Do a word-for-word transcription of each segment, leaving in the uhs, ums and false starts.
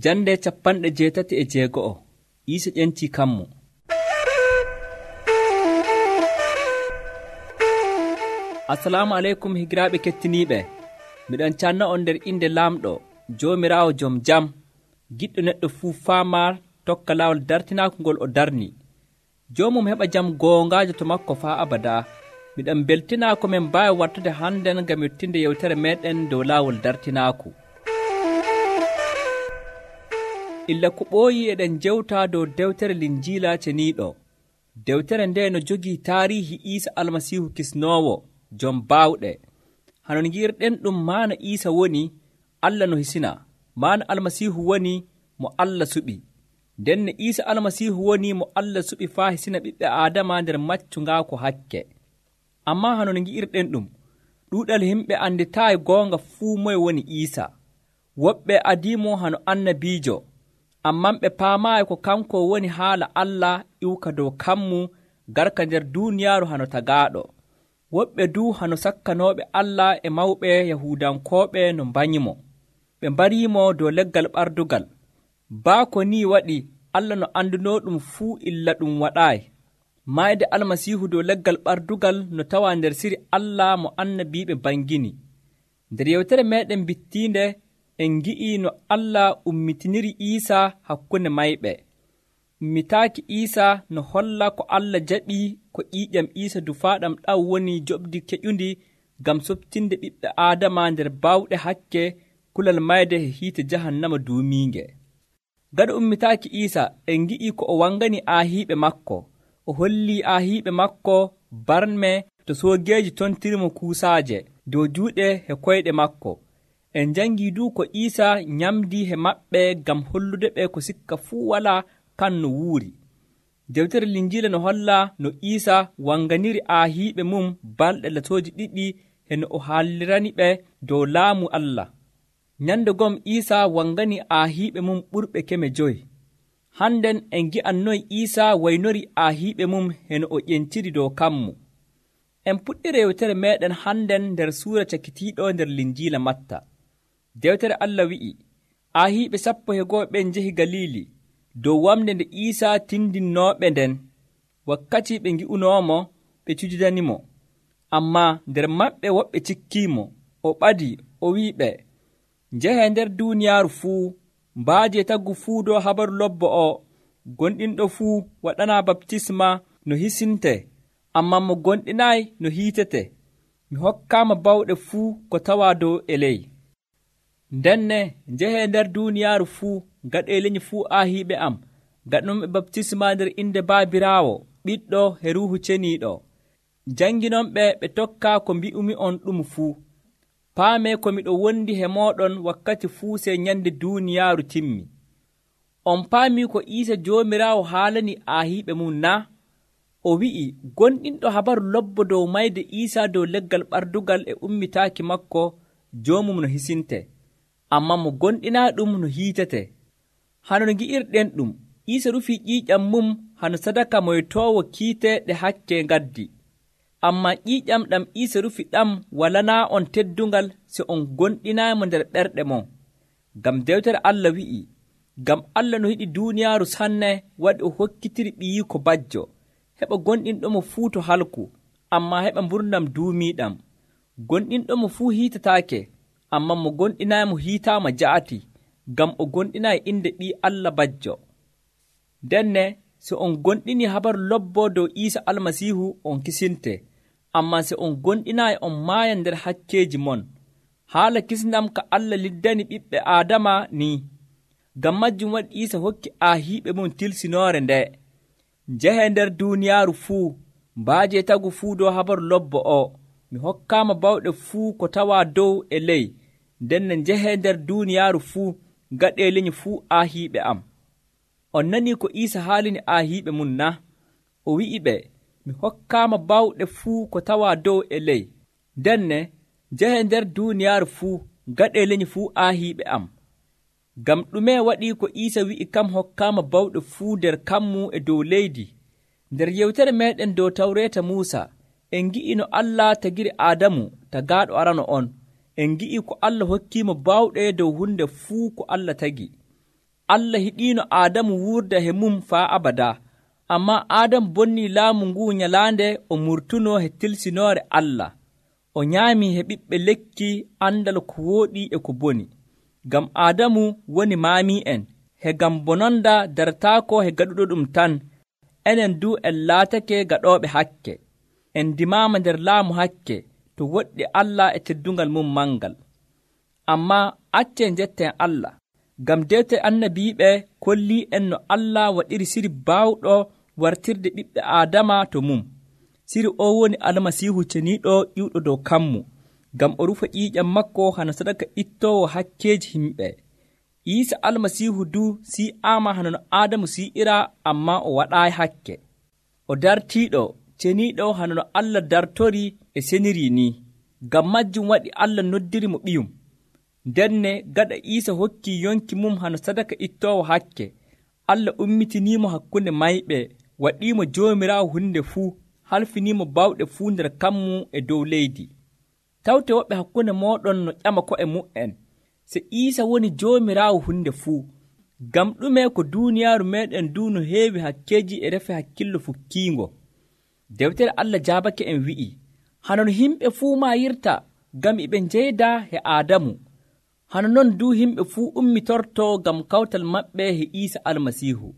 Jande capanɗe jeetati e jeego'o Iisa ƴentii kammo. Assalamu aleykum higiraaɓe kettiniiɓe. Miɗon canna on nder inde laamɗo Joomiraawo jom jam, giɗɗo neɗɗo fuu faamaar tokka laawol dartinaaku ngol o darni. Joomum heɓa jam goongaajo to makko faa abadaa. Miɗon beltinaa ko min mbaawi wartude hannden ngam yettinde yewtere meeɗen dow laawol dartinaaku. Illa ko ɓooyii eɗen jewtaa dow dewtere Linjiila ceniiɗo. Dewtere nde no jogii taariihi Iisa Almasiihu kisnoowo, jom baawɗe. Hanon ngi'irɗen ɗum maana Iisa woni Allah no hisina, maana Almasiihu woni mo Allah suɓi. Ndenne Iisa Almasiihu woni mo Allah suɓi faa hisina ɓiɓɓe Aadama nder maccungaako hakke. Ammaa hanon ngi'irɗen ɗum, ɗuuɗal yimɓe anditaayi goonga fuu moye woni Iisa. Woɓɓe adiimo hano annabiijo, amman ɓe paamaayi ko kanko woni haala Allah iwka dow kammu garka nder duuniyaaru hano tagaaɗo. Woɓɓe duu hano sakkanooɓe Allah e mawɓe Yahuudankooɓe no mbanyimo. Ɓe mbariimo dow leggal ɓardugal. Baa ko nii waɗi Allah no andunoo ɗum fuu illa ɗum waɗaayi. Maayde Almasiihu dow leggal ɓardugal no tawaa nder siri Allah mo annabiiɓe mbangini. Nder yewtere meeɗen bittiinde en ngi'ii no Allah ummitiniri Iisa hakkunde mayɓe. Ummitaaki Iisa no holla ko Allah jaɓii ko ƴiiƴam Iisa dufaaɗam ɗam woni joɓdi keƴundi ngam softinde ɓiɓɓe Aadama nder baawɗe hakke kulal mayde e hiite jahannama duumiinge. Gaɗa ummitaaki Iisa en ngi'ii ko o wangani aahiiɓe makko. O hollii aahiiɓe makko barme to soogeeji tontirimo kuusaaje dow juuɗe e koyɗe makko. En njangii duu ko Iisa nyamdii he maɓɓe ngam hollude ɓe ko sikka fuu walaa kan no wuuri. Dewtere Linjiila no holla no Iisa wanganiri aahiiɓe mum balɗe latooji ɗiɗi e no o haallirani ɓe dow laamu Allah. Nyande gom Iisa wangani aahiiɓe mum ɓurɓe keme joyi. Hannden en ngi'annoyi Iisa waynori aahiiɓe mum e no o ƴentiri dow kammu. En puɗɗiri yewtere meeɗen hannden nder suura cakitiiɗo nder Linjiila Matta. Dewtere Allah wi'i, aahiiɓe sappo e go'o ɓen njehi Galiili dow wamde nde Iisa tindinnooɓe nden. Wakkati ɓe ngi'unoomo, ɓe cujidanimo. Ammaa nder maɓɓe woɓɓe cikkiimo. O ɓadii, o wi'iɓe, njehee nder duuniyaaru fuu, mbaajee tagu fuu dow habaru lobbo o. Gonɗinɗo fuu waɗanaa baptisma no hisinte, ammaa mo gonɗinaayi no hiitete. Mi hokkaama bawɗe fuu ko tawaa dow e ley. Ndenne njehee nder duuniyaaru fuu, gaɗee leñi fuu aahiiɓe am, gaɗnonɓe baptisma nder inde Baabiraawo, Ɓiɗɗo e Ruuhu Ceniiɗo. Janginonɓe ɓe tokkaa ko mbi'umi on ɗum fuu. Paamee ko miɗo wondi he mooɗon wakkati fuu sey nyande duuniyaaru timmi. On paamii ko Iisa Joomiraawo haalani aahiiɓe mum naa? O wi'i gonɗinɗo habaru lobbo dow mayde Iisa dow leggal ɓardugal e ummitaaki makko joomum no hisinte, ammaa mo gonɗinaa ɗum no hiitete. Hanon ngi'irɗen ɗum, Iisa rufii ƴiiƴam mum hano sadaka moytoowo kiite ɗe hakke ngaddi. Ammaa ƴiiƴam ɗam Iisa rufi ɗam walanaa on teddungal so on gonɗinaaymo nder ɓerɗe mon. Ngam dewtere Allah wi'i, ngam Allah no yiɗi duuniyaaru sanne waɗi o hokkitiri ɓiyiiko bajjo, heɓa gonɗinɗomo fuu to halku, ammaa heɓa mburnam duumiiɗam. Gonɗinɗomo fuu hiitataake, ammaa mo gonɗinaaymo hiitaama ja'ati, ngam o gonɗinaayi inde ɓii Allah bajjo. Ndenne so on gonɗinii habaru lobbo dow Iisa Almasiihu on kisinte, ammaa so on gonɗinaayi on maaya nder hakkeeji mon. Haala kisndam ka Allah liddani ɓiɓɓe Aadama ni. Ngam majjum waɗi Iisa hokki aahiiɓe mum tilsinoore nde. Njehee nder duuniyaaru fuu, mbaajee tagu fuu dow habaru lobbo o. Mi hokkaama bawɗe fuu ko tawaa dow e ley. Ndenne njehee nder duuniyaaru fuu, gaɗee leñi fuu aahiiɓe am. On nanii ko Iisa haalini aahiiɓe mum na? O wi'i ɓe, mi hokkaama bawɗe fuu ko tawaa dow e ley. Ndenne njehee nder duuniyaaru fuu, gaɗee leñi fuu aahiiɓe am. Ngam ɗume waɗii ko Iisa wi'i kam hokkaama bawɗe fuu nder kammu e dow leydi? Nder yewtere meeɗen dow Tawreeta Muusa, en ngi'i no Allah tagiri Aadamu tagaaɗo arano on. En ngi'i ko Allah hokkiimo bawɗe dow hunde fuu ko Allah tagi. Allah hiɗiino Aadamu wuurda he mum faa abada, ammaa Aadamu bonnii laamu nguu nyalaande o murtunoo he tilsinoore Allah. O nyaamii he ɓiɓɓe lekki andal ko wooɗii e ko boni. Ngam Aadamu woni maamii'en, he ngam bononda darataako he gaɗuɗo ɗum tan, enen du en laatake gaɗooɓe hakke. En ndimaama nder laamu hakke to woɗɗi Allah e teddungal mum mangal. Ammaa accen njetten Allah, ngam dewte annabiiɓe kollii en no Allah waɗiri siri baawɗo wartirde ɓiɓɓe Aadama to mum. Siri o woni Almasiihu ceniiɗo ƴiwɗo dow kammu, ngam o rufa ƴiiƴam makko hana sadaka ittoowo hakkeeji himɓe. Iisa Almasiihu du si'aama hana no Aadamu si'ira, ammaa o waɗaayi hakke. O dartiiɗo ceniiɗo hana no Allah dartorii e senirii ni. Ngam majjum waɗi Allah noddiri mo ɓiyum. Ndenne gaɗa Iisa hokkii yonki mum hana sadaka ittoowo hakke, Allah ummitiniimo hakkunde mayɓe, waɗiimo Joomiraawo hunde fuu, halfiniimo bawɗe fuu nder kammu e dow leydi. Tawte woɓɓe hakkunde mooɗon no ƴama ko'e mu'en, se Iisa woni Joomiraawo hunde fuu. Ngam ɗume ko duuniyaaru meeɗen du no heewi hakkeeji e refe hakkillo fukkiingo. Dewtere Allah jaabake en wi'i, hana no yimɓe fuu maayirta ngam e ɓe njeyda he Aadamu, hana non du yimɓe fuu ummitortoo ngam kawtal maɓɓe he Iisa Almasiihu.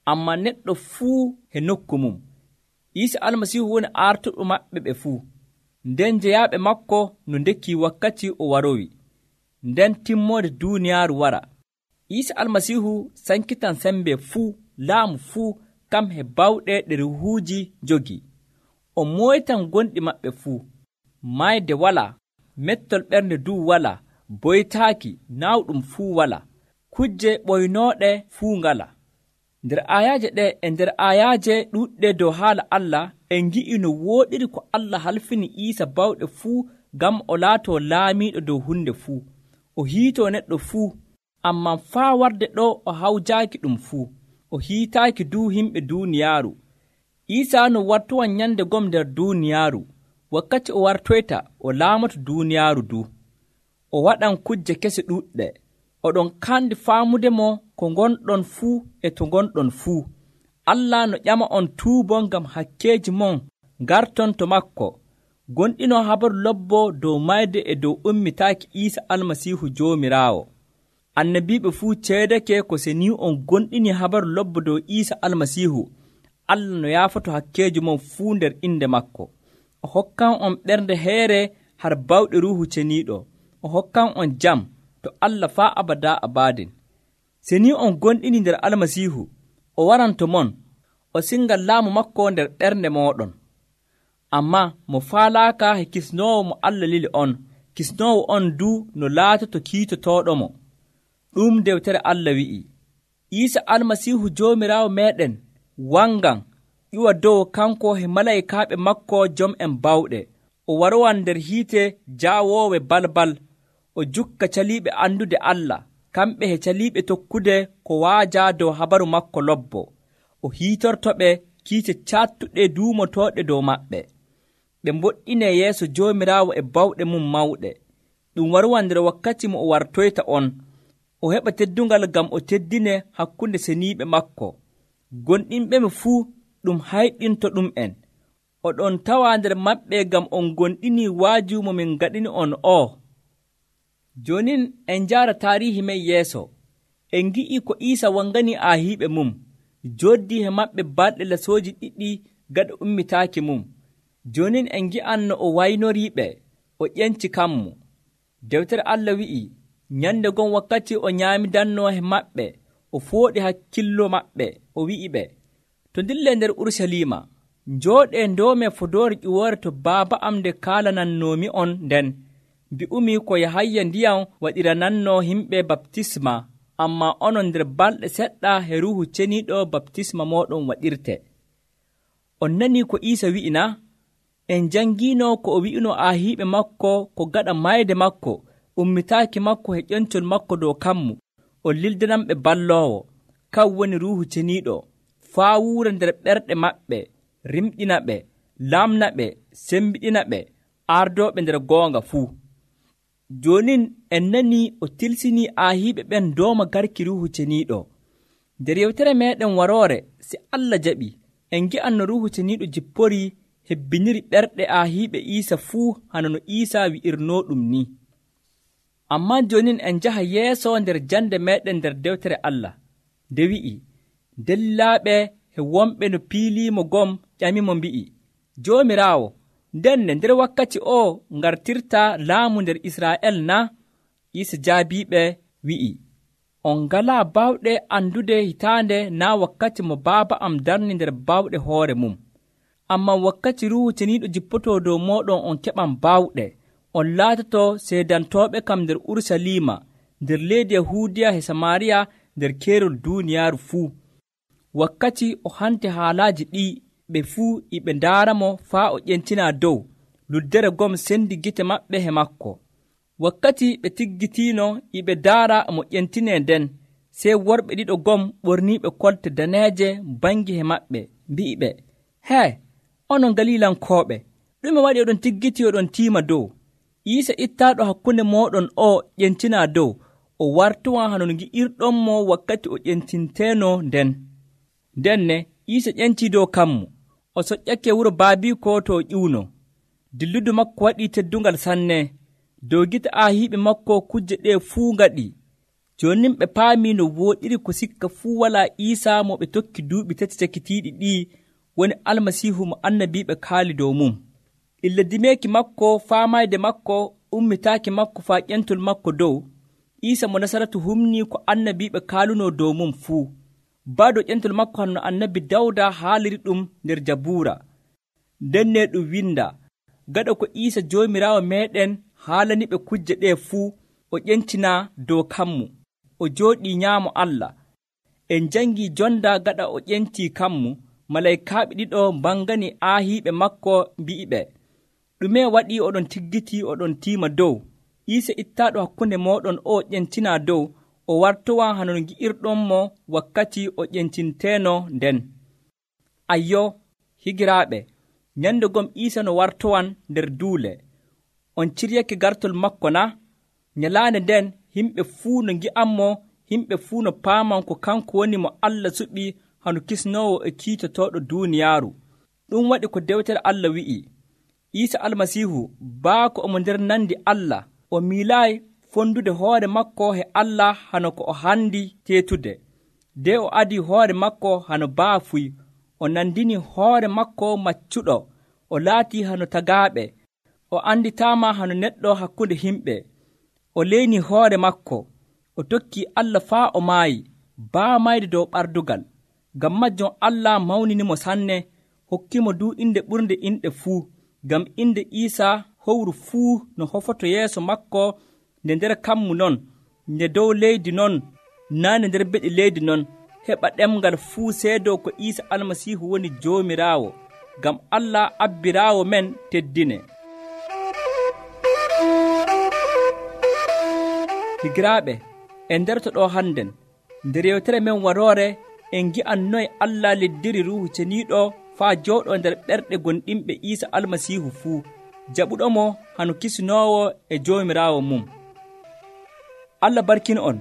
Ammaa neɗɗo fuu he nokku mum. Iisa Almasiihu woni artuɗo maɓɓe ɓe fuu. Nden jeyaaɓe makko no ndekkii wakkati o warowi, nden timmoode duuniyaaru wara. Iisa Almasiihu sankitan sembe fuu, laamu fuu, kam he bawɗe ɗe ruuhuuji jogii. O moytan gonɗi maɓɓe fuu. Maayde walaa, mettol ɓernde duu walaa, boytaaki naawɗum fuu walaa, kujje ɓoynooɗe fuu ngala. Nder ayaaje ɗe e nder ayaaje ɗuuɗɗe dow haala Allah, en ngi'i no wooɗiri ko Allah halfini Iisa bawɗe fuu ngam o laatoo laamiiɗo dow hunde fuu. O hiitoo neɗɗo fuu, ammaa faa warde ɗo o hawjaaki ɗum fuu. O hiitaaki du yimɓe duuniyaaru. Iisa no wartowan nyande gom nder duuniyaaru. Wakkati o wartoyta o laamato duuniyaaru du. O waɗan kujje kese ɗuuɗɗe. Oɗon kandi faamude mo ko ngonɗon fuu e to ngonɗon fuu. Allah no ƴama on tuubo ngam hakkeeji mon ngarton to makko. Gonɗinoo habaru lobbo dow mayde e dow ummitaaki Iisa Almasiihu Joomiraawo. Annabiiɓe fuu ceedake ko se ni on gonɗini habaru lobbo dow Iisa Almasiihu, Allah no yaafoto hakkeeji mon fuu nder inde makko. O hokkan on ɓernde heere har bawɗe Ruuhu Ceniiɗo. O hokkan on jam to Allah faa abada abadin. Se ni on gonɗini nder Almasiihu, o waranto mon, o singal laamu makko nder ɓernde mooɗon. Ammaa mo faalaaka he kisnoowo mo Allah lili on, kisnoowo on du no laatoto kiitotooɗomo. Ɗum dewtere Allah wi'i, Iisa Almasiihu Joomiraawo meeɗen wangan ƴuwa dow kanko he malaykaaɓe makko jom'en bawɗe. O warowan nder hiite jaawoowe balbal. O jukka caliiɓe andude Allah, kamɓe he caliiɓe tokkude ko waaja dow habaru makko lobbo. O hiitortoɓe kiite caattuɗe duumotooɗe dow maɓɓe. Ɓe mboɗɗinee yeeso Joomiraawo e bawɗe mum mawɗe. Ɗum warowan nder wakkati mo o wartoyta on. O heɓa teddungal ngam o teddine hakkunde seniiɓe makko. Gonɗinɓe mi fuu ɗum hayɗinto ɗum'en. Oɗon tawa nder maɓɓe ngam on gonɗini waaju mo min gaɗini on o. Jonin en njaara taarihi men yeeso. En ngi'i ko Iisa wangani aahiiɓe mum, jooddii he maɓɓe balɗe lasooji ɗiɗi gaɗa ummitaaki mum. Jonin en ngi'an no o waynoriiɓe, o ƴenci kammu. Dewtere Allah wi'i, nyande gon wakkati o nyaamidannoo he maɓɓe, o fooɗi hakkillo maɓɓe, o wi'i ɓe, to ndille nder Urusalima, njooɗee ndoome fodoore ƴiwoore to Baaba am nde kaalanannoomi on nden. Mbi'umi ko Yahaya ndiyam waɗiranannoo yimɓe baptisma, ammaa onon nder balɗe seɗɗa he Ruuhu Ceniiɗo baptisma mooɗon waɗirte. On nanii ko Iisa wi'ina? En jangiino ko o wi'ino aahiiɓe makko ko gaɗa mayde makko, ummitaaki makko he ƴoncol makko dow kammu, o lildananɓe balloowo, kan woni Ruuhu Ceniiɗo, faa wuura nder ɓerɗe maɓɓe, rimɗina ɓe, lamna ɓe, sembiɗina ɓe, ardooɓe nder goonga fuu. Jonin en nanii o tilsinii aahiiɓe ɓen dooma garki Ruuhu Ceniiɗo. nder yewtere meɗen waroore si Allah jaɓi en gi'an no Ruuhu Ceniiɗo jipporii hebbiniri ɓerɗe aahiiɓe Iisa fuu hana no Iisaa wi'irnooɗum ni. Ammaa joonin en njaha yeeso nder jande meeɗen nder dewtere Allah nde wi'i, dellaaɓe e wonɓe no piiliimo gom ƴamimo mbi'i, Joomiraawo, ndenne nder wakkati oo ngartirtaa laamu nder Israa'el na? Iisa jaabiiɓe wi'i, on ngalaa baawɗe andude hitaande naa wakkati mo Baaba am darni nder baawɗe hoore mum. Ammaa wakkati Ruuhu Ceniiɗo jippotoo dow mooɗon on keɓan baawɗe, on laatotoo seedantooɓe kam nder Urusalima, nder leydi Yahuudiya e Samaariya, nder keerol duuniyaaru fuu. Wakkati o hante haalaaji ɗii, ɓe fuu e ɓe ndaaramo faa o ƴentinaa dow, luddere gom sendi gite maɓɓe he makko. Wakkati ɓe tiggitiino e ɓe ndaara mo ƴentinee nden, sey worɓe ɗiɗo gom ɓorniiɓe kolte daneeje bangi he maɓɓe, mbi'iɓe, hee, onon Galilankooɓe, ɗume waɗi oɗon tiggiti oɗon tiima dow? Iisa ittaaɗo hakkunde mooɗon o ƴentinaa dow, o wartowan hano no ngi'irɗonmo wakkati o ƴentinteeno nden. Ndenne Iisa ƴentii dow kammu, o soƴƴake wuro baabiiko to o ƴiwno. Dilludu makko waɗii teddungal sanne, dow gite aahiiɓe makko kujje ɗee fuu ngaɗi. Jooni ɓe paamii no wooɗiri ko sikka fuu walaa Iisa mo ɓe tokki duuɓi tati cakitiiɗi ɗii woni Almasiihu mo annabiiɓe kaali dow mum. Illa dimeeki makko faamayde makko ummitaaki makko faa ƴentol makko dow, Iisa mo Nasaratu humnii ko annabiiɓe kaalunoo dow mum fuu. Baa dow ƴentol makko hanno annabi Dawda haaliri ɗum nder Jabuura. Ndenne ɗum winda, gaɗa ko Iisa Joomiraawo meeɗen haalaniɓe kujje ɗee fuu, o ƴentinaa dow kammu, o jooɗii nyaamo Allah. En njangii jonda gaɗa o ƴentii kammu, malaykaaɓe ɗiɗo mbangani aahiiɓe makko mbi'iɓe, ɗume waɗii oɗon tiggiti oɗon tiima dow? Iisa ittaaɗo hakkunde mooɗon o ƴentinaa dow, o wartowan hano no ngi'irɗonmo wakkati o ƴentinteeno nden. Ayyo, higiraaɓe, nyande gom Iisa no wartowan nder duule. On ciryake gartol makko na? Nyalaande nden himɓe fuu no ngi'anmo, himɓe fuu no paaman ko kanko woni mo Allah suɓi hano kisnoowo e kiitotooɗo duuniyaaru. Ɗum waɗi ko dewtere Allah wi'i, Iisa Almasiihu baako omo nder nandi Allah, o miilaayi fondude hoore makko he Allah hano ko o handi teetude. De o adii hoore makko hano baafuy, o nandini hoore makko maccuɗo, o laatii hano tagaaɓe, o anditaama hano neɗɗo hakkunde himɓe, o leynii hoore makko, o tokkii Allah faa o maayi, baa mayde dow ɓardugal. Ngam majjon Allah mawninimo sanne, hokkimo du inde ɓurnde inɗe fuu, ngam inde Iisa howru fuu no hofoto yeeso makko, nde nder kammu non, nde dow leydi non, naa nde nder beɗi leydi non, heɓa ɗemngal fuu seedoo ko Iisa Almasiihu woni Joomiraawo, ngam Allah abbiraawo men teddine. Higiraaɓe, en nderto ɗo hannden, nder yewtere men waroore, en ngi'an noye Allah leddiri Ruuhu Ceniiɗo faa jooɗoo nder ɓerɗe gonɗinɓe Iisa Almasiihu fuu, jaɓuɗomo hano kisnoowo e Joomiraawo mum. Allah barkin on,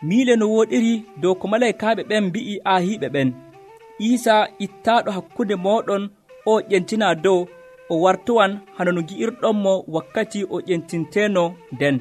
miile no wooɗiri dow ko malaykaaɓe ɓen mbi'i aahiiɓe ɓen, Iisa ittaaɗo hakkunde mooɗon o ƴentinaa dow, o wartowan hano no ngi'irɗonmo wakkati o ƴentinteeno nden.